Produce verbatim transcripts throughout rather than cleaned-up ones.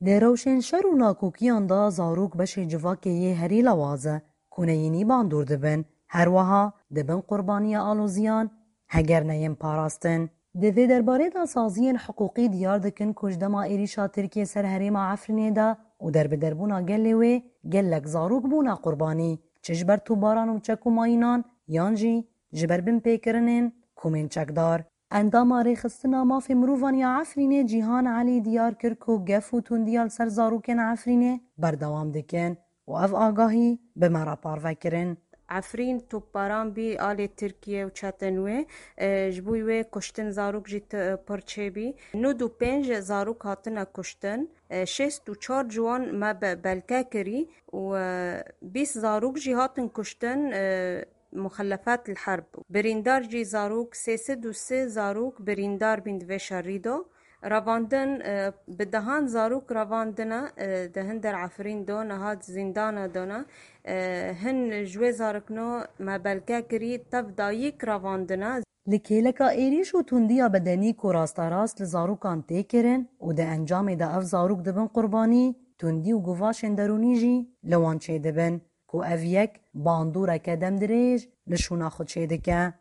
Di rewşên şer û nakokiyan de zarok beşê civakê yê herî lewaz e, ku neyînî bandor dibin. Her wiha dibin qurbaniya aloziyan, heger neyên parastin. Di vê derbarê de saziyên hiqûqî diyar dikin ku ji dema êrîşa Tirkiyê ser herêma Efrînê de û derbiderbûna gelê wê, gelek zarok bûne qurbanî, çi ji ber tûbaran û çek û mayînan, yan jî ji ber binpêkirinên komên çekdar. Endama Rêxistina Mafê Mirovan ya Efrînê Cîhan Elî diyar kir ku gef û tundiya li ser zarokên Efrînê berdewam dikin û ev agahî bi me re parve kirin. Efrîn topbaran bî alê Tirkiye û çetên wê, e, ji bo wê kuştin zarok jî ti-, pir çêbî. Nod û pênc zarok hatine kuştin, e, şêst û çar ji wan me be-, belke kirî û, e, bîst zarok jî hatin kuştin, e, muxelefat li herb. Birîndar jî zarok, sê sed û sê zarok birîndar bîn di vê şerî de. Revandin, e, bi dehan zarok revandine, e, di hin der Efrîn de, niha di zîndana de ne. E, hin ji wê zarokno me belke kirî tev dayik revandine. Li kêleka êrîş û tundiya bedenî ku rasterast li zarokan tê kirin û di encamê de ev zarok dibin qurbanî, tundî û guvaşên derûnî jî li wan çêdibin, ku ev yek bandoreke demdirêj li şûna xwe çêdike.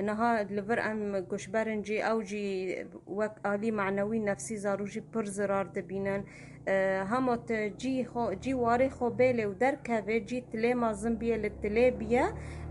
Niha li vir em guhber in jî, ew jî wek alî manewî, nefsî zarok jî pir zirar dibînin. E, hema tu cî xwe, cî warê xwe bêlê û derkevê, cî tilê mezin bîye, li tilê bîye,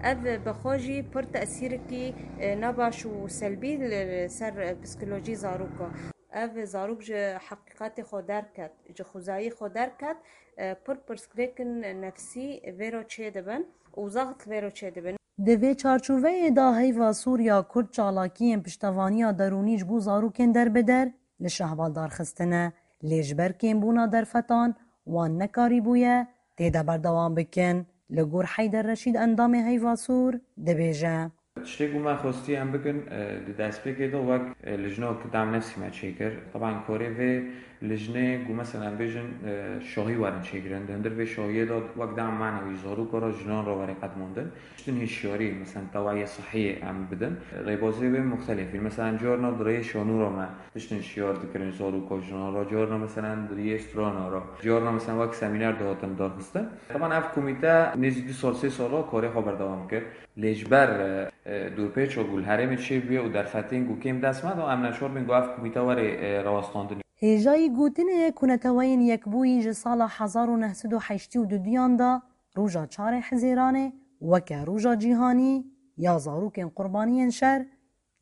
ev bi xwe jî pir tesîrikî, e, nebaş û selbî li ser, e, psîkolojî zaroka. Ev zarok ji heqîqetê xwe derket, ji xwezayî xwe derket, e, pir pirsgirêkin nefsî vê re çêdibin û zext vê re çêdibin. Di vê çarçoveyê de Heyva Sûr ya Kurd çalakiyên piştevaniya derûnî ji bo zarokên derbider li Şehba darxistine, lê ji ber kêmbûna derfetan wan nekarîbûye tê de berdewam bikin. Li gor Heyder Reşîd, endamê Heyva Sûr, dibêje. Tiştê ku me xwestî em bikin, e, di destpêkê de wek, e, lijna ku dem nefsî me çêkir. Teban karê vê lijnê ku mesela em bêjin, e, şahî werin çêkirin. Di hundir vê şahiyê de wek dem manewî zarok re, jinan re were qedmandin. Tiştin hişyarî, mesela tewaye sihiyê em bidin. Rêbazê wê muxtelif in. Mesela carna di rêyê şanûra me tiştin şiyar dikirin zaroka jinan re. Carna mesela di rêyê strana re. Carna mesela wek semîner dihatin darxistin. Teban ev komîte nêzî du sal, sê sala karê xwe berdewam kir. Lê ji ber, e, e, dorpêça ku li herêmê çêbûye û derfetên ku kêm dest me da, em neçar bin ku ev komîte were, e, rawestandin. Hêjayî gotinê ye ku Neteweyên Yekbûyî ji sala hezar û neh sed û heştê û duduyan de roja çarê Hizêranê weke roja cîhanî ya zarokên qurbaniyên şer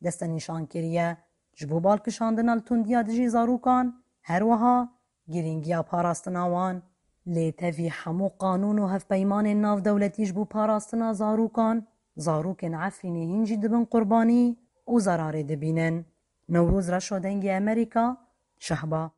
destnîşan kiriye. Ji bo balkişandina li tundiya dijî zarokan, her wiha girîngiya parastina wan. Lê tevî hemû qanûn û hevpeymanên navdewletî ji bo parastina zarokan, zarokên Efrînê hîn jî dibin qurbanî û zerarê dibînin. Newroz Reşo, Dengê Amerîka, Şehba.